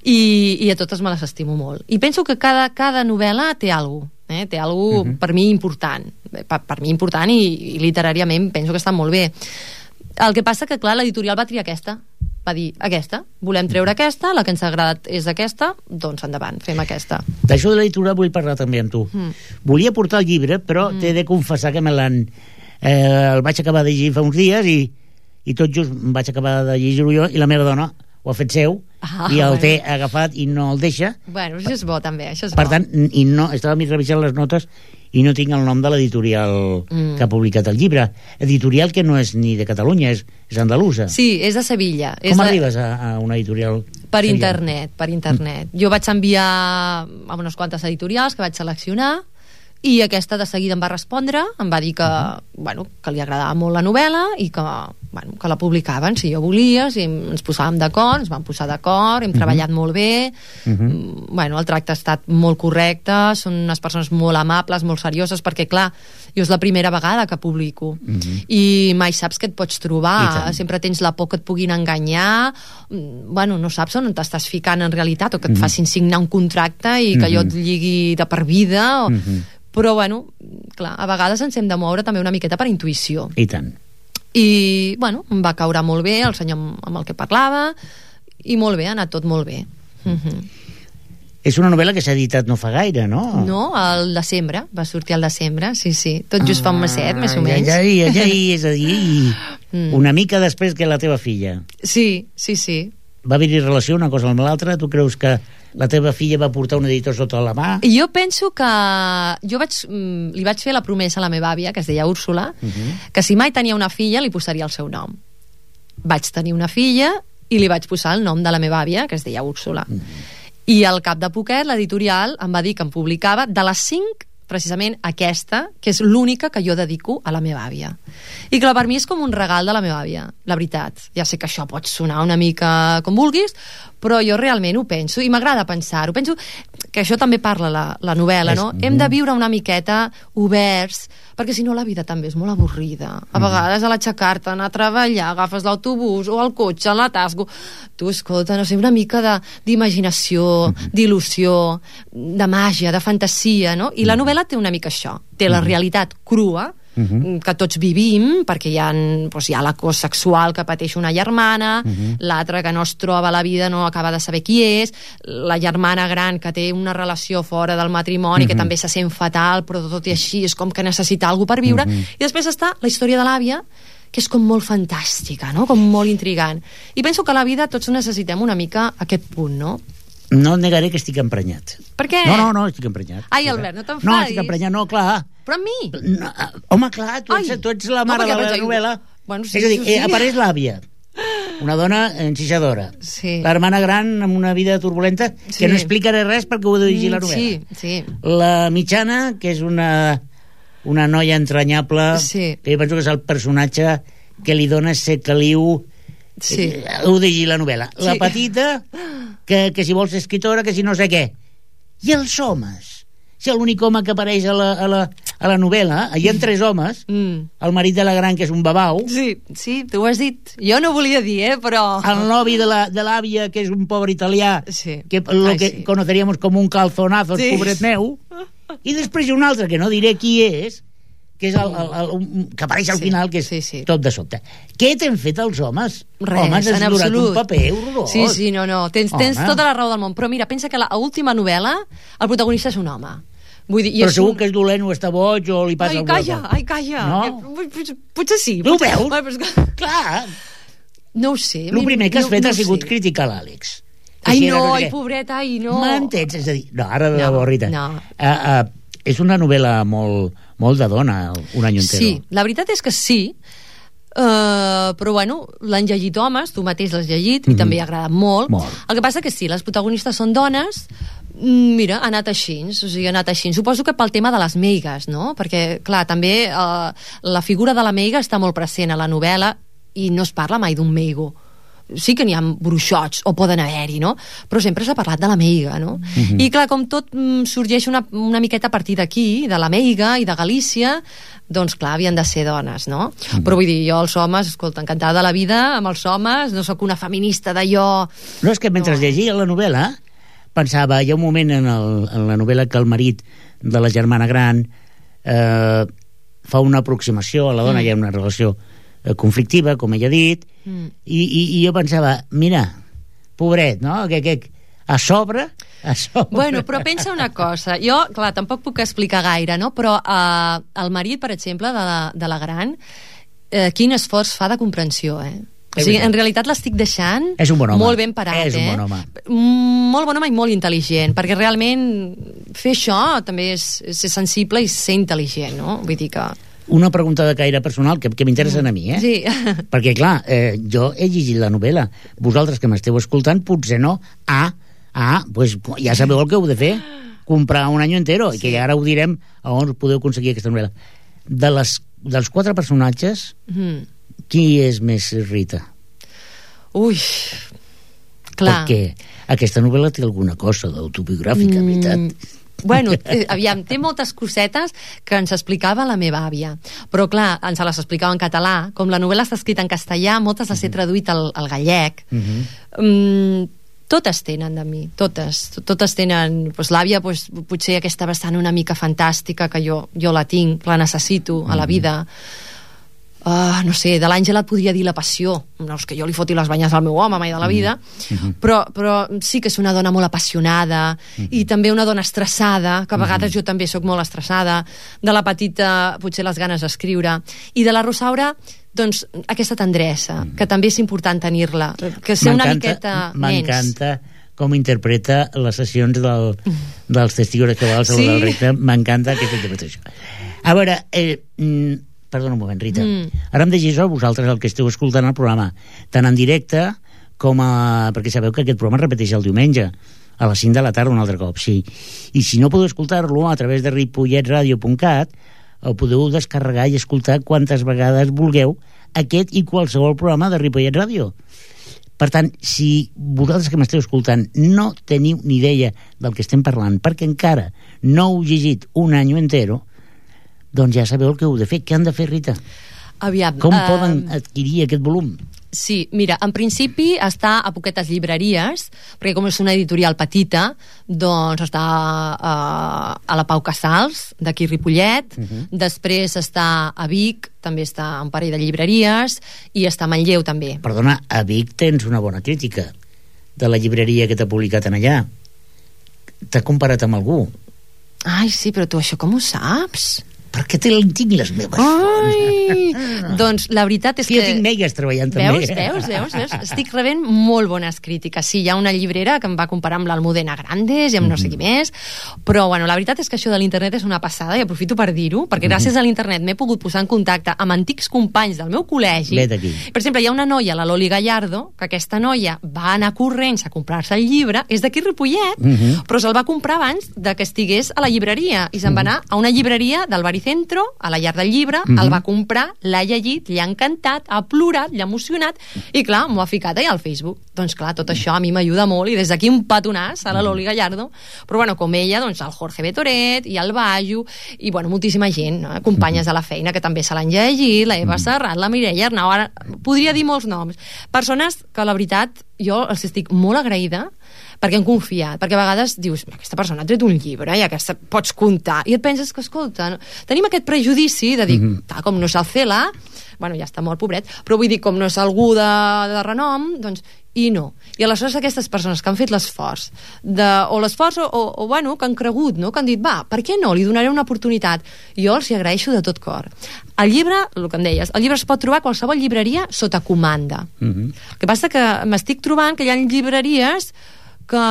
i a totes me les estimo molt. I penso que cada novel·la té alguna cosa, té alguna cosa per mi important. Per mi important i literàriament penso que està molt bé. El que passa que, clar, l'editorial va triar aquesta. Va dir, aquesta, volem treure aquesta, la que ens ha agradat és aquesta, doncs endavant, fem aquesta.
D'això de l'editorial vull parlar també amb tu. Volia portar el llibre, però t'he de confessar que el vaig acabar de llegir fa uns dies i tot just vaig acabar de llegir-ho jo i la meva dona ho ha fet seu i el té agafat i no el deixa.
Bueno, això és bo també, això és
per tant, estava revisant les notes i no tinc el nom de l'editorial que ha publicat el llibre. Editorial que no és ni de Catalunya, és andalusa.
Sí, és de Sevilla.
Com arribes a una editorial?
Per internet. Jo vaig enviar a unes quantes editorials que vaig seleccionar i aquesta de seguida em va respondre, em va dir que, que li agradava molt la novel·la i que la publicaven si jo volia, si ens posàvem d'acord, ens vam posar d'acord, hem treballat molt bé, el tracte ha estat molt correcte, són unes persones molt amables, molt serioses, perquè clar, jo és la primera vegada que publico i mai saps què et pots trobar, sempre tens la por que et puguin enganyar, no saps on t'estàs ficant en realitat, o que et facin signar un contracte i que allò et lligui de per vida, però clar, a vegades ens hem de moure també una miqueta per intuïció.
I tant.
I em va caure molt bé el senyor amb el que parlava i molt bé, ha anat tot molt bé.
És una novel·la que s'ha editat no fa gaire, no?
No, al desembre, va sortir al desembre, sí, tot just fa un meset, més o menys.
Ja, és a dir, una mica després que la teva filla.
Sí.
va haver-hi relació una cosa amb l'altra? Tu creus que la teva filla va portar un editor sota la mà?
Jo penso que jo li vaig fer la promesa a la meva àvia, que es deia Úrsula, que si mai tenia una filla li posaria el seu nom. Vaig tenir una filla i li vaig posar el nom de la meva àvia, que es deia Úrsula. I al cap de poquet l'editorial em va dir que em publicava de les 5, precisament aquesta, que és l'única que jo dedico a la meva àvia. I clar, per mi és com un regal de la meva àvia, la veritat. Ja sé que això pot sonar una mica com vulguis, però jo realment ho penso, i m'agrada pensar-ho. Penso que això també parla la novel·la, no? Hem de viure una miqueta oberts, perquè si no la vida també és molt avorrida. A vegades a l'aixecar-te, anar a treballar, agafes l'autobús o el cotxe, l'atasco. Tu, escolta, no sé, una mica d'imaginació, d'il·lusió, de màgia, de fantasia, no? I la novel·la té una mica això. Té la realitat crua, que tots vivim, perquè hi ha l'acòs sexual que pateix una germana, l'altra que no es troba a la vida, no acaba de saber qui és, la germana gran que té una relació fora del matrimoni, que també se sent fatal, però tot i així és com que necessita alguna per viure, i després està la història de l'àvia, que és com molt fantàstica, no? Com molt intrigant. I penso que a la vida tots necessitem una mica aquest punt, no?
No et negaré que estic emprenyat.
Per què?
No, estic emprenyat.
Ai, Albert, no t'enfadis.
No, estic emprenyat, no, clar.
Però amb mi?
No, home, clar, tu ets la mare de la novel·la.
Bueno, sí,
és a dir, apareix l'àvia, una dona enxixadora.
Sí.
L'hermana gran amb una vida turbulenta que no explicaré res perquè ho he de llegir la novel·la.
Sí.
La mitjana, que és una noia entranyable, que jo penso que és el personatge que li dona ese caliu. Ho de llegir la novel·la. La petita, que si vols ser escritora, que si no sé què. I els homes? Si l'únic home que apareix a la novel·la, hi ha 3 homes, el marit de la gran, que és un babau.
Sí, tu ho has dit. Jo no volia dir, però...
El novi de l'àvia, que és un pobre italià, que conoceríamos com un calzonazo, pobret meu. I després hi ha un altre, que no diré qui és, que és que apareix al final, que és tot de sobte. Què t'han fet els homes?
Res,
homes, has durat un paper horrorós.
Sí, no. Tens tota la raó del món. Però mira, pensa que l'última novel·la, el protagonista és un home. Vull dir,
però segur que és dolent o està boig o li passa alguna cosa.
Ai, calla. No? Potser sí.
Tu ho veus? Clar.
No ho sé.
El primer que has fet ha sigut criticar l'Àlex.
Ai, no, pobret, ai, no.
M'entens? És a dir, no, ara de la borrita. És una novel·la molt de dona, Un any entero.
Sí, la veritat és que sí, però bueno, l'han llegit homes, tu mateix l'has llegit, i també ha agradat molt. El que passa que sí, les protagonistes són dones. Mira, ha anat així, suposo que pel tema de les meigues, no? Perquè, clar, també la figura de la meiga està molt present a la novel·la i no es parla mai d'un meigo. Sí que n'hi ha bruixots, o poden haver-hi, no? Però sempre s'ha parlat de la meiga, no? I clar, com tot sorgeix una miqueta a partir d'aquí, de la meiga i de Galícia, doncs clar, havien de ser dones, no? Però vull dir, jo els homes, escolta, encantada de la vida amb els homes, no sóc una feminista d'allò...
No, és que mentre llegia la novel·la pensava, hi ha un moment en la novel·la que el marit de la germana gran fa una aproximació a la dona, hi ha una relació conflictiva, com ella ha dit, i jo pensava, mira, pobret, no? Que a sobre...
Bueno, però pensa una cosa, jo, clar, tampoc puc explicar gaire, no? Però el marit, per exemple, de la gran, quin esforç fa de comprensió, O sigui, en realitat l'estic deixant molt ben parat.
És un bon home.
Molt bon home i molt intel·ligent, perquè realment fer això també és ser sensible i ser intel·ligent, no? Vull dir que...
Una pregunta de caire personal que m'interessen a mi,
Sí.
Perquè, clar, jo he llegit la novel·la. Vosaltres que m'esteu escoltant, potser no. Pues ja sabeu el que heu de fer. Comprar Un any entero, i que ara ho direm a on podeu aconseguir aquesta novel·la. Dels 4 personatges, qui és més Rita?
Ui, clar.
Perquè aquesta novel·la té alguna cosa d'autobiogràfica, veritat.
Bueno, aviam, té moltes cosetes que ens explicava la meva àvia, però clar, ens les explicava en català. Com la novel·la està escrita en castellà, moltes les he traduït al gallec. Totes tenen de mi, totes tenen, doncs l'àvia potser aquesta vessant una mica fantàstica, que jo la tinc, la necessito a la vida. no sé, de l'Àngela et podria dir La passió. No és que jo li foti les banyes al meu home mai de la vida, però sí que és una dona molt apassionada i també una dona estressada, que a vegades jo també sóc molt estressada. De la Petita, potser les ganes d'escriure. I de la Rosaura, doncs, aquesta tendresa, que també és important tenir-la, que ser una miqueta nens.
M'encanta com interpreta les sessions dels Testigos de Jehovà,
Sí.
del Recte. M'encanta aquesta interpretació. A veure, perdona un moment, Rita. Ara em deixis a vosaltres el que esteu escoltant el programa, tant en directe com perquè sabeu que aquest programa es repeteix el diumenge a les 5 de la tarda un altre cop, sí. I si no podeu escoltar-lo a través de ripolletradio.cat, el podeu descarregar i escoltar quantes vegades vulgueu aquest i qualsevol programa de Ripollet Ràdio. Per tant, si vosaltres que m'esteu escoltant no teniu ni idea del que estem parlant, perquè encara no heu llegit un any entero, doncs ja sabeu el que heu de fer. Què han de fer, Rita?
Aviam,
Com poden adquirir aquest volum?
Sí, mira, en principi està a poquetes llibreries, perquè com és una editorial petita, doncs està a la Pau Casals, d'aquí Ripollet, després està a Vic, també està a un parell de llibreries, i està a Manlleu també.
Perdona, a Vic tens una bona crítica de la llibreria que t'ha publicat en allà. T'ha comparat amb algú.
Ai, sí, però tu això com ho saps?
Perquè tinc les meves
Ai, doncs la veritat és
que...
que...
Jo tinc meigues treballant també.
Veus? Estic rebent molt bones crítiques. Sí, hi ha una llibrera que em va comparar amb l'Almudena Grandes i amb no sé qui més, però bueno, la veritat és que això de l'internet és una passada i aprofito per dir-ho, perquè gràcies a l'internet m'he pogut posar en contacte amb antics companys del meu col·legi.
Vet aquí.
Per exemple, hi ha una noia, la Loli Gallardo, que aquesta noia va anar corrents a comprar-se el llibre, és d'aquí Ripollet, però se'l va comprar abans de que estigués a la llibreria, i se'n va anar a una llibreria del Baricentro, a la llar del llibre, el va comprar, l'ha llegit, li ha encantat, ha plorat, l'ha emocionat, i clar, m'ho ha ficat allà al Facebook. Doncs clar, tot això a mi m'ajuda molt, i des d'aquí un petonàs a la Loli Gallardo, però bueno, com ella, doncs el Jorge Betoret, i el Bajo, i bueno, moltíssima gent, no? Companyes de la feina que també se l'han llegit, la Eva Serrat, la Mireia Arnau, ara podria dir molts noms. Persones que la veritat jo els estic molt agraïda perquè han confiat, perquè a vegades dius aquesta persona ha tret un llibre i aquesta pots comptar, i et penses que, escolta, tenim aquest prejudici de dir, com no és el Cela, bueno, ja està mort, pobret, però vull dir, com no és algú de renom, doncs, i no. I aleshores aquestes persones que han fet l'esforç, o bueno, que han cregut, no? Que han dit, va, per què no? Li donaré una oportunitat. Jo els hi agraeixo de tot cor. El llibre, el que em deies, el llibre es pot trobar a qualsevol llibreria sota comanda. El que passa que m'estic trobant que hi ha llibreries que,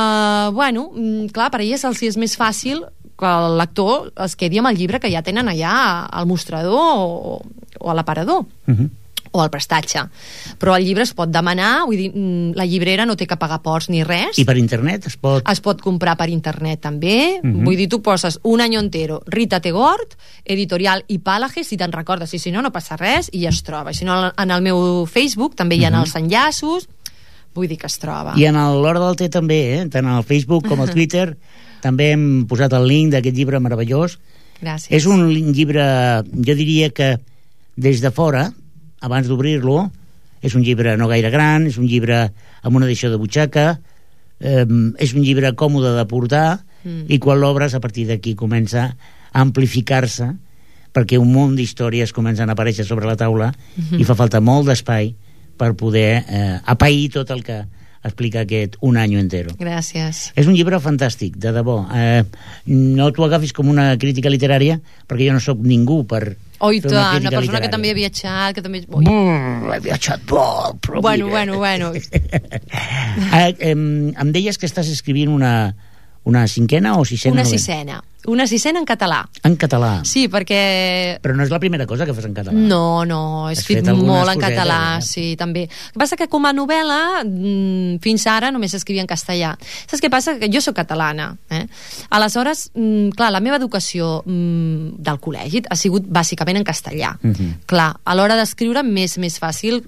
bueno, clar, per elles els és més fàcil que el lector es quedi amb el llibre que ja tenen allà al mostrador o a l'aparador. O al prestatge. Però el llibre es pot demanar, vull dir, la llibrera no té que pagar ports ni res.
I per internet es pot...
Es pot comprar per internet també. Vull dir, tu poses Un año entero, Rita Tegort, editorial Ipàlages, si te'n recordes, i si no, no passa res, i es troba. I si no, en el meu Facebook també hi ha els enllaços, vull dir que es troba.
I en l'Hora del Té també, tant al Facebook com al Twitter, també hem posat el link d'aquest llibre meravellós.
Gràcies.
És un llibre, jo diria que des de fora, abans d'obrir-lo, és un llibre no gaire gran, és un llibre amb una edició de butxaca, és un llibre còmode de portar, i quan l'obres, a partir d'aquí comença a amplificar-se, perquè un munt d'històries comencen a aparèixer sobre la taula, i fa falta molt d'espai per poder apair tot el que explica aquest Un año entero.
Gràcies.
És un llibre fantàstic, de debò. No t'ho agafis com una crítica literària, perquè jo no sóc ningú per
Oi,
fer una
una
crítica
persona que
literària.
també ha viatjat, que també...
He viatjat molt, però
Bueno.
em deies que estàs escrivint una cinquena o sisena?
Una sisena en català.
En català.
Sí, perquè...
Però no és la primera cosa que fas en català.
No, he
Has
escrit
fet algunes
molt en
cosetes,
català, sí, també. El que passa que com a novel·la, fins ara només escrivia en castellà. Saps què passa? Que jo sóc catalana. Aleshores, clar, la meva educació del col·legi ha sigut bàsicament en castellà. Clar, a l'hora d'escriure més fàcil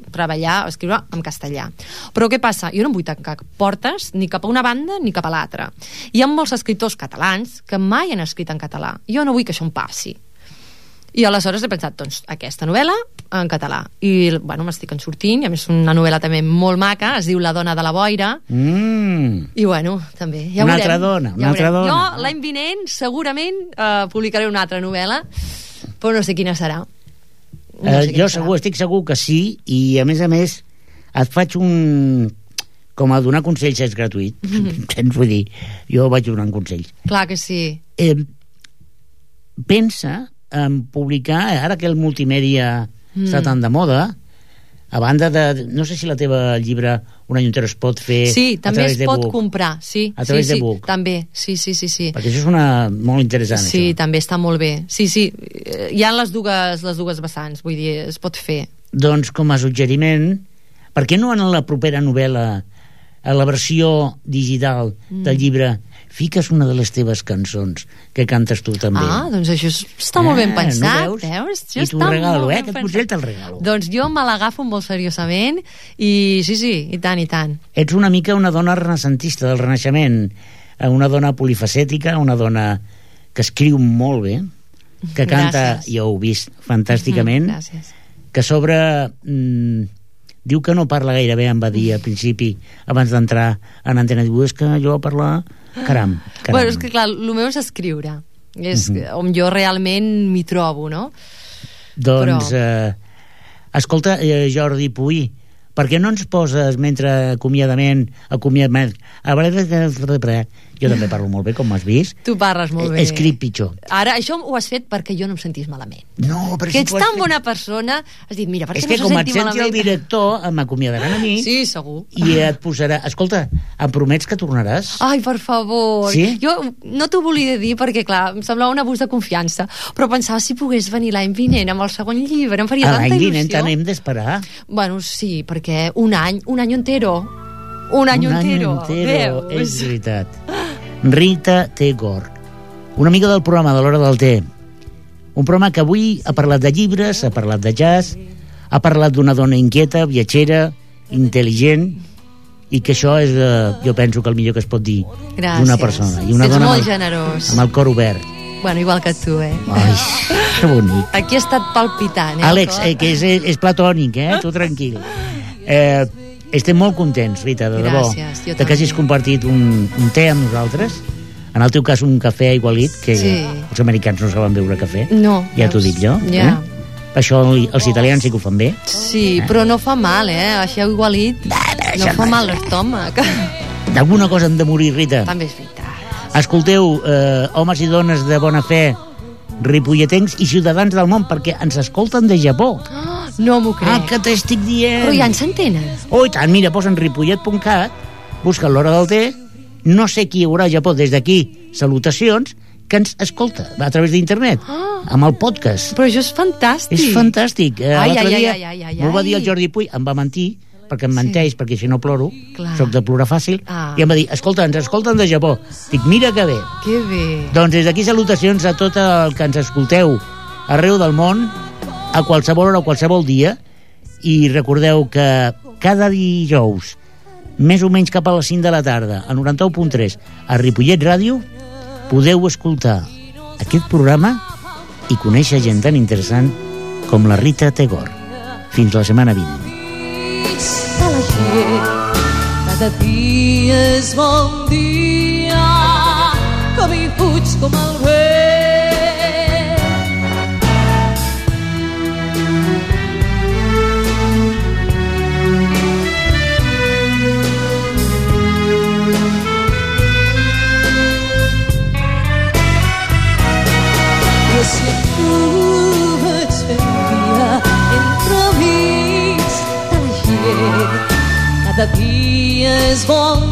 escriure en castellà. Però què passa? Jo no em vull tancar portes ni cap a una banda ni cap a l'altra. Hi ha molts escriptors catalans que mai han escrit en català. Jo no vull que això em passi. I aleshores he pensat, doncs, aquesta novel·la en català. I, bueno, m'estic en sortint, i a més una novel·la també molt maca, es diu La dona de la boira. I, bueno, també, ja
una
veurem.
altra dona.
Jo, l'any vinent, segurament, publicaré una altra novel·la, però no sé quina serà.
Jo estic segur que sí, i a més et faig com a donar consells és gratuït. Vull dir, jo vaig donant consells.
Clar que sí.
Pensa en publicar, ara que el multimèdia està tan de moda, a banda de... No sé si la teva llibre Un any entero es pot fer
també
a través
es
de
pot
book.
comprar, sí.
A través de book.
També, sí.
Perquè això és molt interessant,
Sí,
això.
també està molt bé. Sí, hi ha les dues vessants, vull dir, es pot fer.
Doncs com a suggeriment, per què no en la propera novel·la, a la versió digital del llibre, fiques una de les teves cançons que cantes tu també?
Doncs això està molt ben pensat,
no
veus?
I t'ho regalo, aquest consell te'l regalo.
Doncs jo me l'agafo molt seriosament i sí, i tant.
Ets una mica una dona renaixentista del Renaixement, una dona polifacètica, una dona que escriu molt bé, que canta,
Gràcies.
ja ho he vist fantàsticament,
Gràcies.
que a sobre diu que no parla gaire bé, em va dir al principi, abans d'entrar en antena, diu, és que jo a parlar... Caram.
Bueno, és que clar, el meu és escriure. És on jo realment m'hi trobo, no?
Doncs, escolta, Jordi Puy, per què no ens poses mentre acomiadament, jo també parlo molt bé, com m'has vist.
Tu parles molt bé.
Escric pitjor.
Ara, això ho has fet perquè jo no em sentís malament.
No, però
que ets tan bona persona, has dit, mira, perquè
és
no
que
se
com et
senti
senti
malament.
el director, m'acomiadaran a mi.
Sí, segur.
I et posarà... Escolta, em promets que tornaràs?
Ai, per favor.
Sí?
Jo no t'ho volia dir perquè, clar, em semblava un abús de confiança, però pensava si pogués venir l'any vinent amb el segon llibre, em faria tanta il·lusió.
L'any vinent tant hem d'esperar.
Bueno, sí, perquè un any entero. Un any entero. Veus?
És veritat. Rita T. Gor, una amiga del programa de l'Hora del Té. Un programa que avui ha parlat de llibres, ha parlat de jazz, ha parlat d'una dona inquieta, viatgera, intel·ligent, i que això és, jo penso que el millor que es pot dir d'una persona. I una
ets
dona
molt generós.
amb el cor obert.
Bueno, igual que tu,
Ai, que bonic.
Aquí ha estat palpitant,
Àlex, que és platònic, tu tranquil. Estem molt contents, Rita, de debò,
Gràcies, jo
de que hagis compartit un té amb nosaltres. En el teu cas, un cafè aigualit, que els americans no saben beure cafè.
No.
Ja t'ho dic jo.
Ja.
Això els italians sí que ho fan bé.
Sí, però no fa mal, Això aigualit no fa mal l'estómac.
D'alguna cosa hem de morir, Rita.
També és veritat.
Escolteu, homes i dones de bona fe, ripolletens i ciutadans del món, perquè ens escolten de Japó.
No m'ho crec.
Que t'estic dient.
Però ja ens s'entenen.
Oh, i tant, mira, posa en ripollet.cat, busca l'Hora del Té, no sé qui hi haurà a Japó des d'aquí, salutacions, que ens escolta a través d'internet, amb el podcast.
Però això és fantàstic.
És fantàstic. L'altre dia m'ho va dir el
ai.
Jordi Puy, em va mentir, perquè em menteix, perquè si no ploro,
Clar.
soc de plorar fàcil, i em va dir, escolta, ens escolten de Japó. Dic, mira que bé.
Que bé.
Doncs des d'aquí salutacions a tot el que ens escolteu arreu del món, a qualsevol hora o qualsevol dia, i recordeu que cada dijous, més o menys cap a les 5 de la tarda, a 91.3, a Ripollet Ràdio, podeu escoltar aquest programa i conèixer gent tan interessant com la Rita T. Gor. Fins la setmana vinent.
Cada dia és bon dia, com hi fuig com el vent. I si tu vaig fent dia entremig de la gent, cada dia és bon